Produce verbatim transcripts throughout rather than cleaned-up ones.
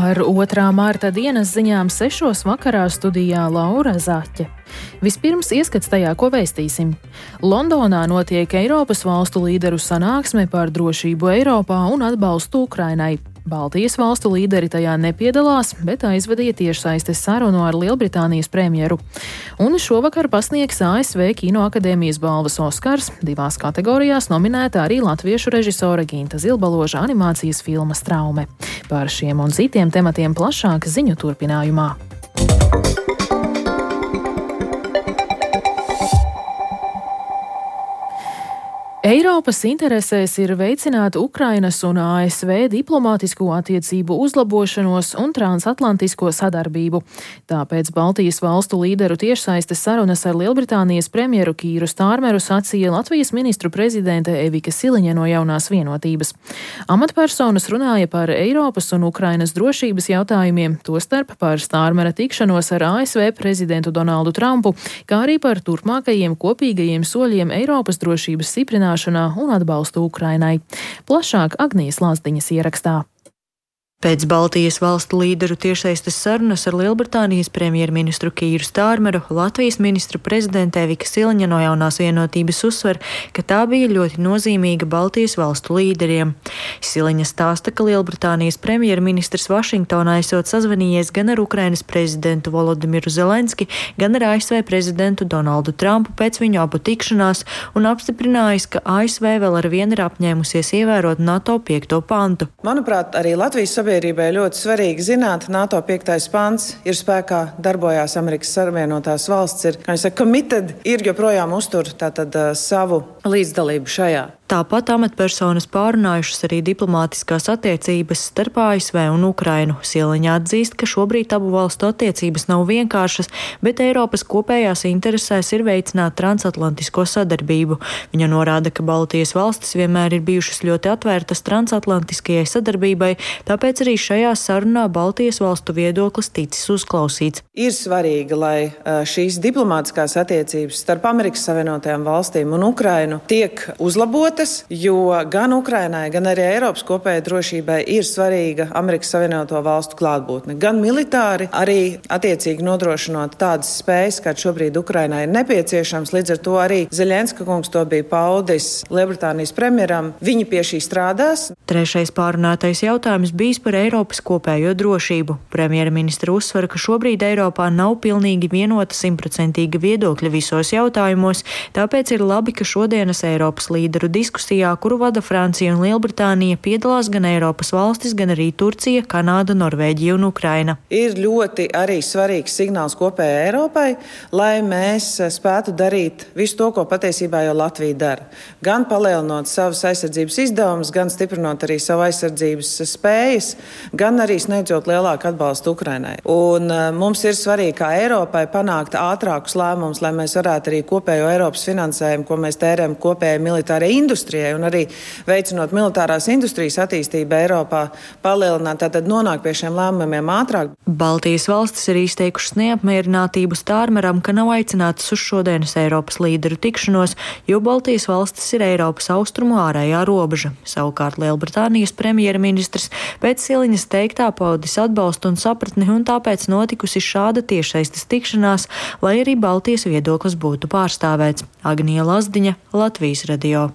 Ar otrā marta dienas ziņām sešos vakarā studijā Laura Zaķe. Vispirms ieskats tajā, ko vēstīsim. Londonā notiek Eiropas valstu līderu sanāksme par drošību Eiropā un atbalstu Ukrainai. Baltijas valstu līderi tajā nepiedalās, bet aizvadīja tiešsaistes sarunu ar Lielbritānijas premjeru. Un šovakar pasniegs A S V Kinoakadēmijas balvas Oskars. Divās kategorijās nominēta arī latviešu režisora Ginta Zilbaloža animācijas filma Straume. Par šiem un citiem tematiem plašāk ziņu turpinājumā. Eiropas interesēs ir veicināt Ukrainas un A S V diplomātisko attiecību uzlabošanos un transatlantisko sadarbību. Tāpēc Baltijas valstu līderu tiešsaistes sarunas ar Lielbritānijas premjeru Kīru Stārmeru sacīja Latvijas ministru prezidente Evika Siliņa no Jaunās vienotības. Amatpersonas runāja par Eiropas un Ukrainas drošības jautājumiem, tostarp par Stārmera tikšanos ar A S V prezidentu Donaldu Trumpu, kā arī par turpmākajiem kopīgajiem soļiem Eiropas drošības stiprināšanā un atbalstu Ukrainai. Plašāk Agnijas Lazdiņas ierakstā. Pēc Baltijas valstu līderu tiešsaistes sarunas ar Lielbritānijas premjerministru Kīru Stārmeru, Latvijas ministru prezidente Evika Siliņa no Jaunās vienotības uzsver, ka tā bija ļoti nozīmīga Baltijas valstu līderiem. Siliņa stāsta, ka Lielbritānijas premjerministrs Vašingtonā esot sazvanījies gan ar Ukrainas prezidentu Volodimiru Zelenski, gan ar A S V prezidentu Donaldu Trumpu pēc viņu abu tikšanās un apstiprinājis, ka A S V vēl ar vienu ir apņēmusies ievērot NATO piekto pantu. Manuprāt, arī Latvijas sabiedrība Sabiedrībai ļoti svarīgi zināt, NATO piektais pants ir spēkā, darbojās Amerikas Savienotās valsts, ir, kā jūs saka, committed, ir joprojām uztur tātad uh, savu līdzdalību šajā. Tāpat amatpersonas pārunājušas arī diplomātiskās attiecības starp A S V un Ukrainu. Siliņa atzīst, ka šobrīd abu valstu attiecības nav vienkāršas, bet Eiropas kopējās interesēs ir veicināt transatlantisko sadarbību. Viņa norāda, ka Baltijas valstis vienmēr ir bijušas ļoti atvērtas transatlantiskajai sadarbībai, tāpēc arī šajā sarunā Baltijas valstu viedoklis ticis uzklausīts. Ir svarīgi, lai šīs diplomātiskās attiecības starp Amerikas Savienotajām valstīm un Ukrainu tiek uzlabotas, jo gan Ukrainai, gan arī Eiropas kopējai drošībai ir svarīga Amerikas Savienoto valstu klātbūtne. Gan militāri, arī attiecīgi nodrošinot tādas spējas, kā šobrīd Ukrainai ir nepieciešams. Līdz ar to arī Zeļenska kungs to bija paudis Lielbritānijas premjeram. Viņi pie šī strādās. Trešais pārunātais jautājums bijis par Eiropas kopējo drošību. Premjerministra uzsver, ka šobrīd Eiropā nav pilnīgi vienota simtprocentīga viedokļa visos jautājumos, tāpēc ir labi, ka šodienas Eiropas līderu diskusijā, kuru vada Francija un Lielbritānija, piedalās gan Eiropas valstis, gan arī Turcija, Kanāda, Norvēģija un Ukraina. Ir ļoti arī svarīgs signāls kopējai Eiropai, lai mēs spētu darīt visu to, ko patiesībā jau Latvija dara. Gan palielinot savas aizsardzības izdevumus, gan stiprinot arī savu aizsardzības spējas, gan arī sniedzot lielāku atbalstu Ukrainai. Un mums ir svarīgi, kā Eiropai, panākt ātrākus lēmumus, lai mēs varētu arī kopējo Eiropas finansējumu, ko mēs tērējam kopējai militārai industrijai un arī veicinot militārās industrijas attīstību Eiropā, palielināt, tātad nonākt pie šiem lēmumiem ātrāk. Baltijas valstis ir izteikušas neapmierinātību Stārmeram, ka nav aicinātas uz šodienas Eiropas līderu tikšanos, jo Baltijas valstis ir Eiropas austrumu ārējā robeža. Savukārt Lielbritānijas premjerministrs pēc Siliņas teiktā paudis atbalstu un sapratni, un tāpēc notikusi šāda tiešsaistes tikšanās, lai arī Baltijas viedoklis būtu pārstāvēts. Agnija Lazdiņa, Latvijas radio.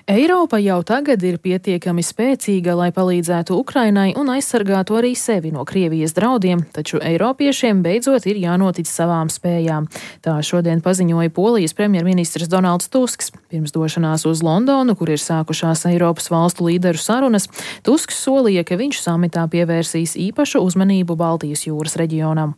Eiropa jau tagad ir pietiekami spēcīga, lai palīdzētu Ukrainai un aizsargātu arī sevi no Krievijas draudiem, taču eiropiešiem beidzot ir jānotic savām spējām. Tā šodien paziņoja Polijas premjerministrs Donalds Tusks. Pirms došanās uz Londonu, kur ir sākušās Eiropas valstu līderu sarunas, Tusks solīja, ka viņš samitā pievērsīs īpašu uzmanību Baltijas jūras reģionam.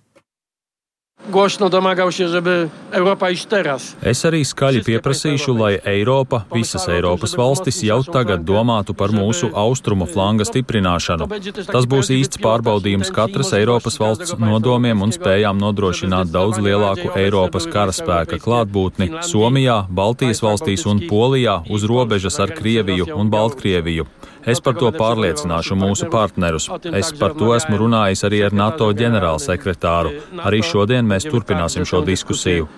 Głośno domagał się, żeby Europa iść teraz. Es arī skaļi pieprasīšu, lai Eiropa, visas Eiropas valstis jau tagad domātu par mūsu austrumu flanga stiprināšanu. Tas būs īsts pārbaudījums katras Eiropas valsts nodomiem un spējām nodrošināt daudz lielāku Eiropas karaspēka klātbūtni Somijā, Baltijas valstīs un Polijā uz robežas ar Krieviju un Baltkrieviju. Es par to pārliecināšu mūsu partnerus. Es par to esmu runājis arī ar NATO ģenerālsekretāru. Arī šodien mēs turpināsim šo diskusiju.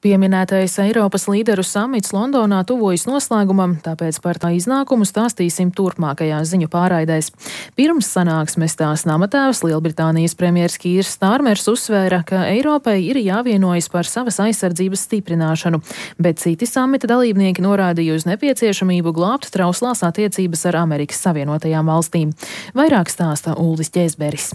Pieminētais Eiropas līderu samits Londonā tuvojas noslēgumam, tāpēc par tā iznākumu stāstīsim turpmākajās ziņu pārraidēs. Pirms sanāksmes tās namatēvs Lielbritānijas premjers Kīrs Stārmers uzsvēra, ka Eiropai ir jāvienojas par savas aizsardzības stiprināšanu, bet citi samita dalībnieki norādīja uz nepieciešamību glābt trauslās attiecības ar Amerikas Savienotajām valstīm. Vairāk stāsta Uldis Ķēzberis.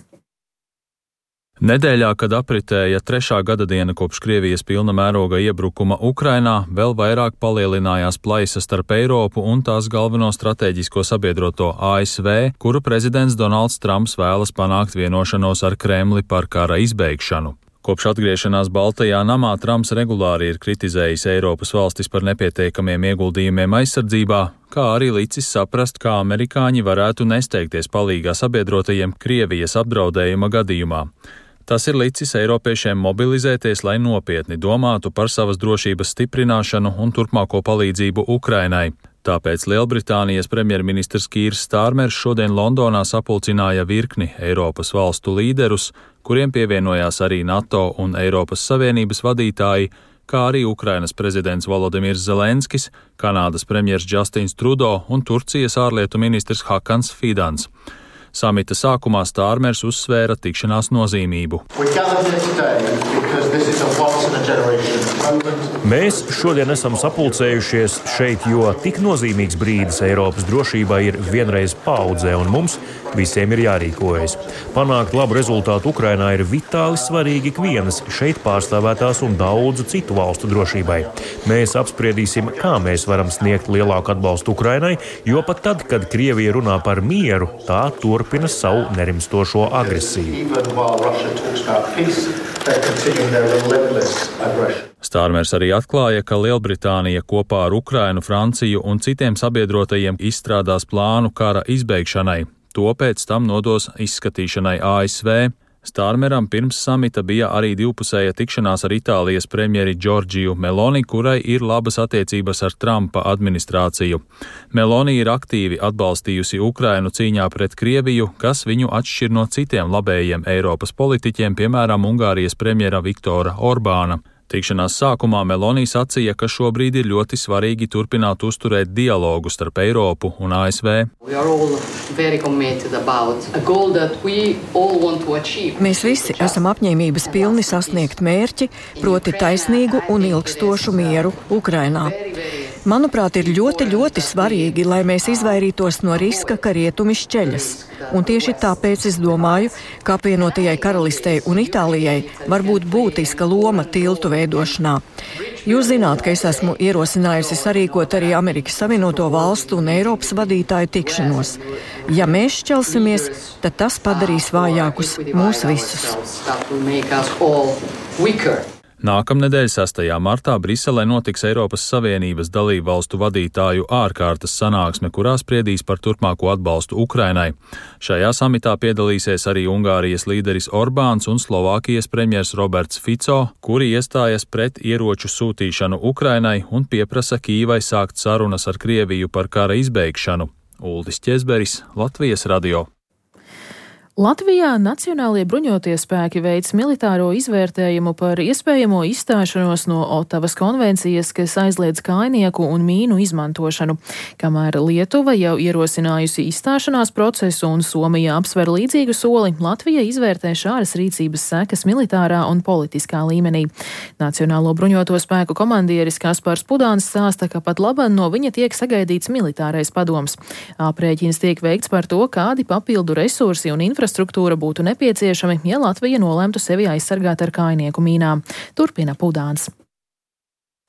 Nedēļā, kad apritēja trešā gada diena kopš Krievijas pilna mēroga iebrukuma Ukrainā, vēl vairāk palielinājās plaisa starp Eiropu un tās galveno strateģisko sabiedroto A S V, kuru prezidents Donalds Trumps vēlas panākt vienošanos ar Kremli par kara izbeigšanu. Kopš atgriešanās Baltajā namā Trumps regulāri ir kritizējis Eiropas valstis par nepietiekamiem ieguldījumiem aizsardzībā, kā arī licis saprast, kā amerikāņi varētu nesteigties palīgā sabiedrotajiem Krievijas apdraudējuma gadījumā. Tas ir licis eiropiešiem mobilizēties, lai nopietni domātu par savas drošības stiprināšanu un turpmāko palīdzību Ukrainai. Tāpēc Lielbritānijas premjerministrs Kīrs Stārmers šodien Londonā sapulcināja virkni Eiropas valstu līderus, kuriem pievienojās arī NATO un Eiropas Savienības vadītāji, kā arī Ukrainas prezidents Volodimirs Zelenskis, Kanādas premjers Justins Trudeau un Turcijas ārlietu ministrs Hakans Fidans. Samita sākumā Stārmers uzsvēra tikšanās nozīmību. Mēs šodien esam sapulcējušies šeit, jo tik nozīmīgs brīdis Eiropas drošībai ir vienreiz paudzē, un mums visiem ir jārīkojas. Panākt labu rezultātu Ukrainā ir vitāli svarīgi ikvienas šeit pārstāvētās un daudzu citu valstu drošībai. Mēs apspriedīsim, kā mēs varam sniegt lielāku atbalstu Ukrainai, jo pat tad, kad Krievija runā par mieru, tā turpina savu nerimstošo agresiju. Stārmers arī atklāja, ka Lielbritānija kopā ar Ukrainu, Franciju un citiem sabiedrotajiem izstrādās plānu kara izbeigšanai. To pēc tam nodos izskatīšanai A S V. Stārmeram pirms samita bija arī divpusēja tikšanās ar Itālijas premjeri Giorgiju Meloni, kurai ir labas attiecības ar Trumpa administrāciju. Meloni ir aktīvi atbalstījusi Ukrainu cīņā pret Krieviju, kas viņu atšķir no citiem labējiem Eiropas politiķiem, piemēram, Ungārijas premjera Viktora Orbāna. Tikšanās sākumā Meloni sacīja, ka šobrīd ir ļoti svarīgi turpināt uzturēt dialogu starp Eiropu un A S V. Mēs visi esam apņēmības pilni sasniegt mērķi, proti taisnīgu un ilgstošu mieru Ukrainā. Manuprāt, ir ļoti, ļoti svarīgi, lai mēs izvairītos no riska, ka rietumi šķeļas. Un tieši tāpēc es domāju, ka apvienotajai karalistei un Itālijai var būt būtiska loma tiltu veidošanā. Jūs zināt, ka es esmu ierosinājusi sarīkot arī Amerikas Savienoto valstu un Eiropas vadītāju tikšanos. Ja mēs šķelsimies, tad tas padarīs vājākus mūs visus. Nākamnedēļ sestajā martā Briselē notiks Eiropas Savienības dalību valstu vadītāju ārkārtas sanāksme, kurā spriedīs par turpmāko atbalstu Ukrainai. Šajā samitā piedalīsies arī Ungārijas līderis Orbāns un Slovākijas premjers Roberts Fico, kuri iestājas pret ieroču sūtīšanu Ukrainai un pieprasa Kīvai sākt sarunas ar Krieviju par kara izbeigšanu. Uldis Ķēzberis, Latvijas radio. Latvijā Nacionālie bruņotie spēki veic militāro izvērtējumu par iespējamo izstāšanos no Otavas konvencijas, kas aizliedz kainieku un mīnu izmantošanu. Kamēr Lietuva jau ierosinājusi izstāšanās procesu un Somija apsver līdzīgu soli, Latvija izvērtē šādas rīcības sekas militārā un politiskā līmenī. Nacionālo bruņoto spēku komandieris Kaspars Pudāns stāsta, ka pat laban no viņa tiek sagaidīts militārais padoms. Aprēķins tiek veikts par to, kādi papildu resursi un infrastruktūra Infrastruktūra būtu nepieciešami, ja Latvija nolemtu sevi aizsargāt ar kainieku mīnām. Turpina Pudāns.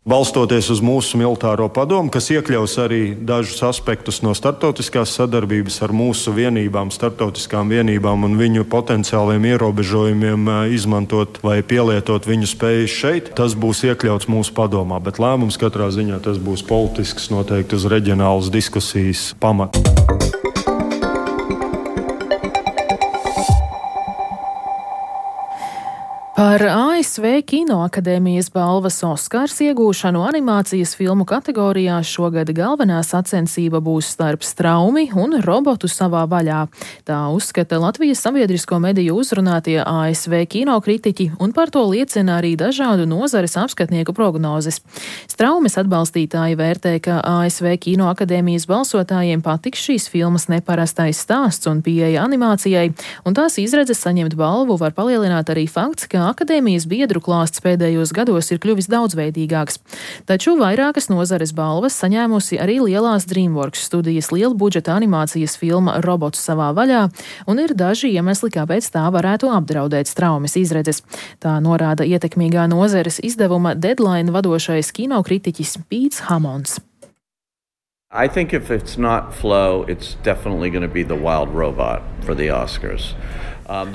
Balstoties uz mūsu militāro padomu, kas iekļaus arī dažus aspektus no starptautiskās sadarbības ar mūsu vienībām, starptautiskām vienībām un viņu potenciāliem ierobežojumiem izmantot vai pielietot viņu spējas šeit, tas būs iekļauts mūsu padomā, bet lēmums katrā ziņā tas būs politisks, noteikti uz reģionālas diskusijas pamata. Par A S V Kinoakadēmijas balvas Oskars iegūšanu animācijas filmu kategorijās šogad galvenā sacensība būs starp straumi un robotu savā vaļā. Tā uzskata Latvijas sabiedrisko mediju uzrunātie A S V kinokritiķi, un par to liecina arī dažādu nozares apskatnieku prognozes. Straumes atbalstītāji vērtē, ka A S V Kinoakadēmijas balsotājiem patiks šīs filmas neparastais stāsts un pieeja animācijai, un tās izredzes saņemt balvu var palielināt arī fakts, ka akadēmijas biedru klāsts pēdējos gados ir kļuvis daudzveidīgāks. Taču vairākas nozares balvas saņēmusi arī lielās DreamWorks studijas lielbudžeta animācijas filma Robots savā vaļā, un ir daži iemesli, kāpēc tā varētu apdraudēt straumes izredzes. Tā norāda ietekmīgā nozares izdevuma Deadline vadošais kinokritiķis Pīts Hamons. I think if it's not Flow, it's definitely going to be The Wild Robot for the Oscars.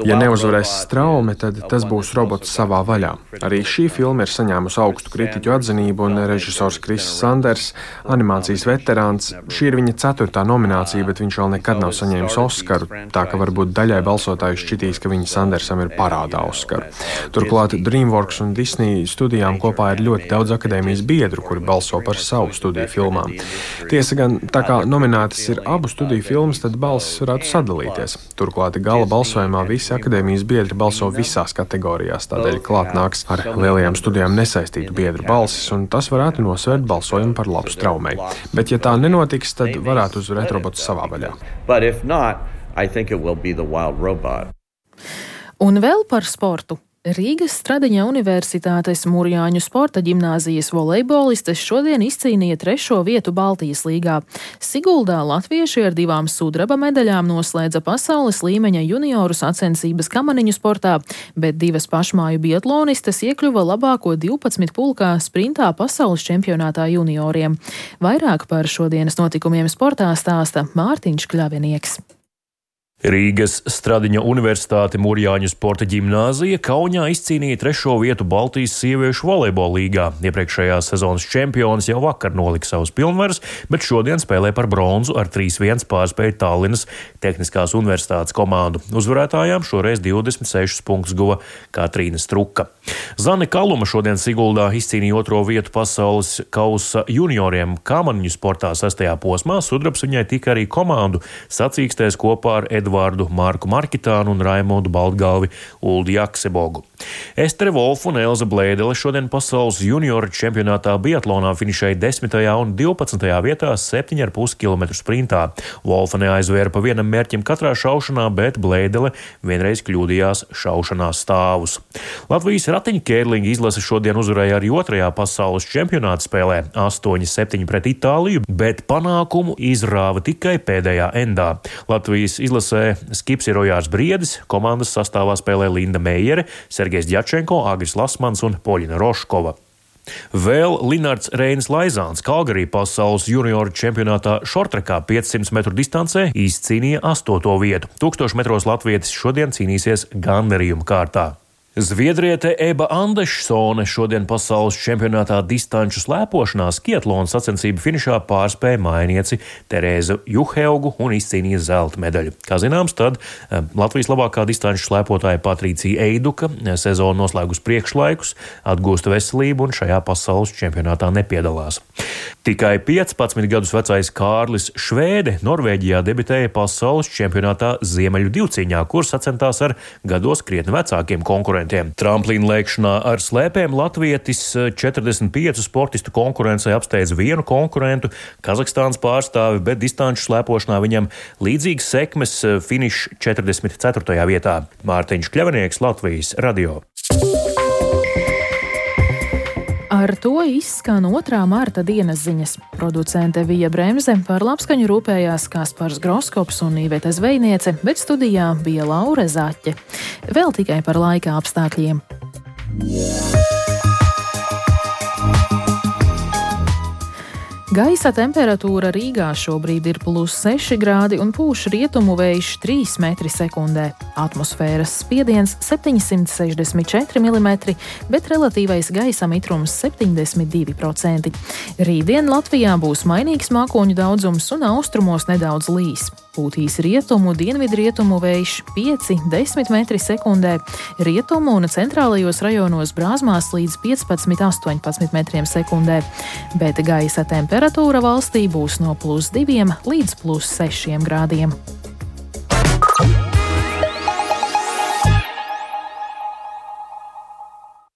Ja neuzvarēs straume, tad tas būs Robots savā vaļā. Arī šī filma ir saņēmusi augstu kritiķu atzinību, un režisors Kris Sanders, animācijas veterāns, šī ir viņa ceturtā nominācija, bet viņš vēl nekad nav saņēmis Oskaru, tā ka varbūt daļai balsotāju šķitīs, ka viņa Sandersam ir parādā Oskaru. Turklāt DreamWorks un Disney studijām kopā ir ļoti daudz akadēmijas biedru, kuri balso par savu studiju filmām. Tiesa gan, tā kā nominētas ir abu studiju filmas, tad balsis varētu sadalīties. Turklāt gala balsojumā visi akadēmijas biedri balso visās kategorijās, tādēļ klāt nāks ar lielajām studijām nesaistītu biedru balsis, un tas varētu nosvērt balsojumu par labu straumei. Bet, ja tā nenotiks, tad varētu uzvarēt Robots savā vaļā. Un vēl par sportu. Rīgas Stradiņa Universitātes Mūrjāņu sporta ģimnāzijas volejbolistes šodien izcīnīja trešo vietu Baltijas līgā. Siguldā latvieši ar divām sudraba medaļām noslēdza pasaules līmeņa junioru sacensības kamaniņu sportā, bet divas pašmāju biatlonistes iekļuva labāko divpadsmit pulkā sprintā pasaules čempionātā junioriem. Vairāk par šodienas notikumiem sportā stāsta Mārtiņš Kļavinieks. Rīgas Stradiņa Universitāte Mūrjāņu sporta ģimnāzija Kaunijā izcīnīja trešo vietu Baltijas sieviešu volejbola līgā. Iepriekšējās sezonas čempionis jau vakar nolika savus pilnvarus, bet šodien spēlē par bronzu ar trīs viens pārspēja Tallinas Tehniskās universitātes komandu. Uzvarētājām šoreiz divdesmit sešus punktus guva Katrīna Struka. Zane Kaluma šodien Siguldā izcīnīja otro vietu pasaules kausa junioriem kamaniņu sportā sestajā posmā. Sudrabs viņai tika arī komandu sacīkstēs kopā ar Edvardu Marku Markitānu un Raimondu Baltgalvi Uldi Jaksebogu. Estere Wolf un Elza Blēdele šodien pasaules junioru čempionātā biatlonā finišēja desmitajā un divpadsmitajā vietā septiņu ar pus kilometru sprintā. Wolfa neaizvēra pa vienam mērķim katrā šaušanā, bet Blēdele vienreiz kļūdījās šaušanā stāvus. Latvijas ratiņu kērlinga izlase šodien uzvarēja arī otrajā pasaules čempionāta spēlē astoņi septiņi pret Itāliju, bet panākumu izrāva tikai pēdējā endā. Latvijas izlasē skips ir Rojārs Briedis, komandas sastāvā spēlē Linda Meijere, Sergejs Djačenko, Agris Lasmans un Poļina Roškova. Vēl Linards Reinis Laizāns Kalgarī pasaules junioru čempionātā šortrekā piecsimt metru distancē izcīnīja astoto vietu. Tūkstošu metros latvietis šodien cīnīsies gandarījuma kārtā. Zviedriete Eba Andešsone šodien pasaules čempionātā distanču slēpošanā skiatlona sacensību finišā pārspēja mainieci Terēzu Juheugu un izcīnīja zelta medaļu. Kā zināms, tad Latvijas labākā distanču slēpotāja Patricija Eiduka sezonu noslēgus priekšlaikus, atgūsta veselību un šajā pasaules čempionātā nepiedalās. Tikai piecpadsmit gadus vecais Kārlis Švēde Norvēģijā debitēja pasaules čempionātā ziemeļu divcīņā, kur sacentās ar gados krietni vecākiem konkurentiem. Tramplīna lēkšanā ar slēpēm latvietis četrdesmit piecu sportistu konkurencei apsteidz vienu konkurentu, Kazahstānas pārstāvi, bet distanču slēpošanā viņam līdzīgas sekmes, finišs četrdesmit ceturtajā vietā. Mārtiņš Kļavinieks, Latvijas radio. Ar to izskan otrā marta dienas ziņas. Producente Vija Bremze, par labskaņu rūpējās Kaspars Groskops un Iveta Zvejniece, bet studijā bija Laure Zaķe. Vēl tikai par laika apstākļiem. Gaisa temperatūra Rīgā šobrīd ir plus seši grādi un pūš rietumu vējš trīs metri sekundē. Atmosfēras spiediens septiņsimt sešdesmit četri milimetri, bet relatīvais gaisa mitrums septiņdesmit divi procenti. Rītdien Latvijā būs mainīgs mākoņu daudzums un austrumos nedaudz līs. Pūtīs rietumu, dienvidrietumu vējš pieci līdz desmit metri sekundē, rietumu un centrālajos rajonos brāzmās līdz piecpadsmit līdz astoņpadsmit metriem sekundē, bet gaisa temperatūra valstī būs no plus diviem līdz plus sešiem grādiem.